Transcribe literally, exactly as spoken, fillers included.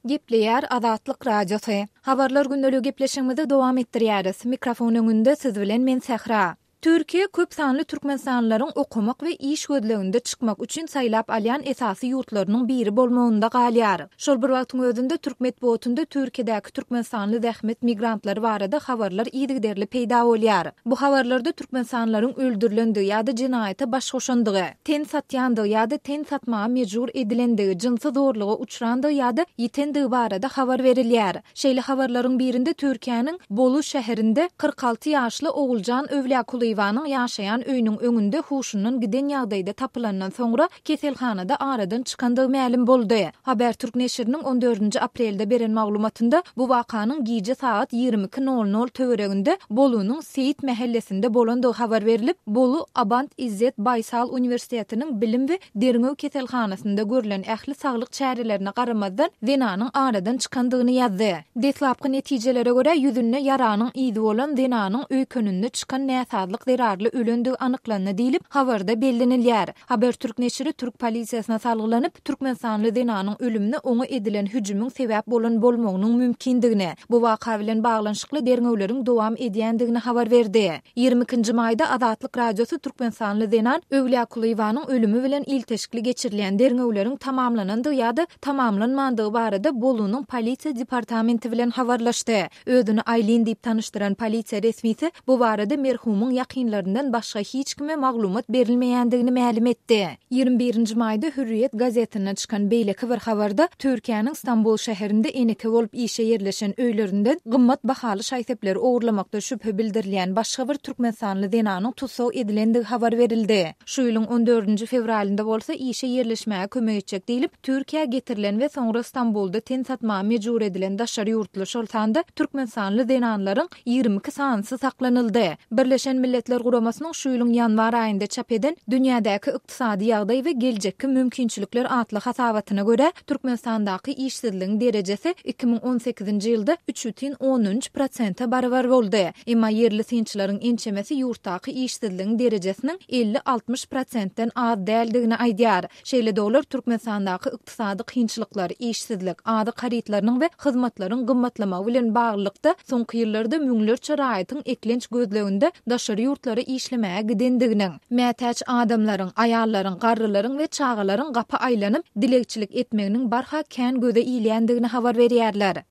Gepleýär Azatlyk Radiosy. Habarlar gündeligi gepleşigimizi dowam etdirýäris. Mikrofon öňünde siz bilen men Sähra. Türkiýe köp sanly türkmenistanlylaryň okamak we iş gözleginde çykmak üçin saýlap alýan esasy ýurtlarynyň biri bolmagynda galýar. Şol bir wagtyň özünde türk metbugatynda Türkiýedäki türkmenistanly zähmet migrantlary barada habarlar yzygiderli peýda bolýar. Bu habarlarda türkmenistanlylaryň öldürilendigi ýa-da jenaýata baş goşandygy, ten satýandygy ýa-da ten satmaga mejbur edilendigi, jynsy zorluga uçrandygy ýa-da ýitendigi barada habar berilýär. Şeýle habarlaryň birinde Türkiýäniň Bolu şäherinde kyrk alty ýaşly Oguljan Öwlýakulyýewanyň ýaşaýan öýüniň öňünde huşundan giden ýagdaýda tapylandan soňra keselhanada aradan çykandygy mälim boldy. Habertürk neşiriniň on dördünji aprelde beren maglumatynda bu wakanyň gije sagat ýigrimi iki nol nol töwereginde Bolunyň Seýit mähellesinde bolandygy habar berlip, Bolu Abant Izzet Baýsal uniwersitetiniň bilim we derňew keselhanasynda görlen ähli saglyk çärelerine garamazdan zenanyň aradan çykandygyny ýazdy. Deslapky netijelere görä, ýüzünde ýaranyň yzy bolan zenanyň öýkeninde çykan näsazlyk zerarly ölendigi anyklandy diýlip, habarda bellenilýär. Habertürk neşiri türk polisiýasyna salgylanyp, türkmenistanly zenanyň ölümine oňa edilen hüjümiň sebäp bolan bolmagynyň mümkindigini, bu waka bilen baglanyşykly derňewleriň dowam edýändigini habar berdi. Ýigrimi ikinji maýda Azatlyk Radiosy türkmenistanly zenan Öwlýakulyýewanyň ölümi bilen ilteşikli geçirilýän derňewleriň tamamlanandygy ýa-da tamamlanmandygy barada Bolunyň polisiýa departamenti bilen habarlaşdy. Özüni Aýlin diýip tanyşdyran polisiýa resmisi bu barada merhumyň ýakynlaryndan başga hiç kime maglumat berilmeýändigini mälim etdi. Ýigrimi birinji maýda Hürriýet gazetinde çykan beýleki bir habarda Türkiýäniň Stambul şäherinde eneke bolup işe ýerleşen öýlerinden gymmat bahaly şaý-sepleri ogurlamakda şübhe bildirilýän başga bir türkmenistanly zenanyň tussag edilendigi habar berildi. Şu ýylyň on dördünji fewralynda bolsa işe ýerleşmäge kömek etjek diýlip, Türkiýä getirilen we soňra Stambulda ten satmaga mejbur edilen daşary ýurtly, şol sanda türkmenistanly zenanlaryň ýigrimi iki sanysy saklanyldy. Birleşen Milletler Guramasynyň şu ýylyň ýanwar aýynda çap eden Dünýädäki ykdysady ýagdaý we geljekki mümkinçilikler atly hasabatyna görä, Türkmenistandaky işsizligiň derejesi iki müň on sekizinji ýylda üç bütin ondan üç prosente barabar boldy. Emma ýerli synçylaryň ençemesi ýurtdaky işsizligiň derejesiniň elli-altmyş prosentden az däldigini aýdýar. Şeýle-de olar Türkmenistandaky ykdysady kynçylyklar, işsizlik, azyk harytlarynyň we hyzmatlaryň gymmatlamagy bilen baglylykda soňky ýyllarda müňlerçe raýatyň eklenç gözleginde daşary ýurtlara işlemäge gidendiginiň, mätäç adamlaryň, aýallaryň, garrylaryň we çagalaryň gapy aýlanyp dilegçilik etmeginiň barha kän göze ilýändigini habar berýärler.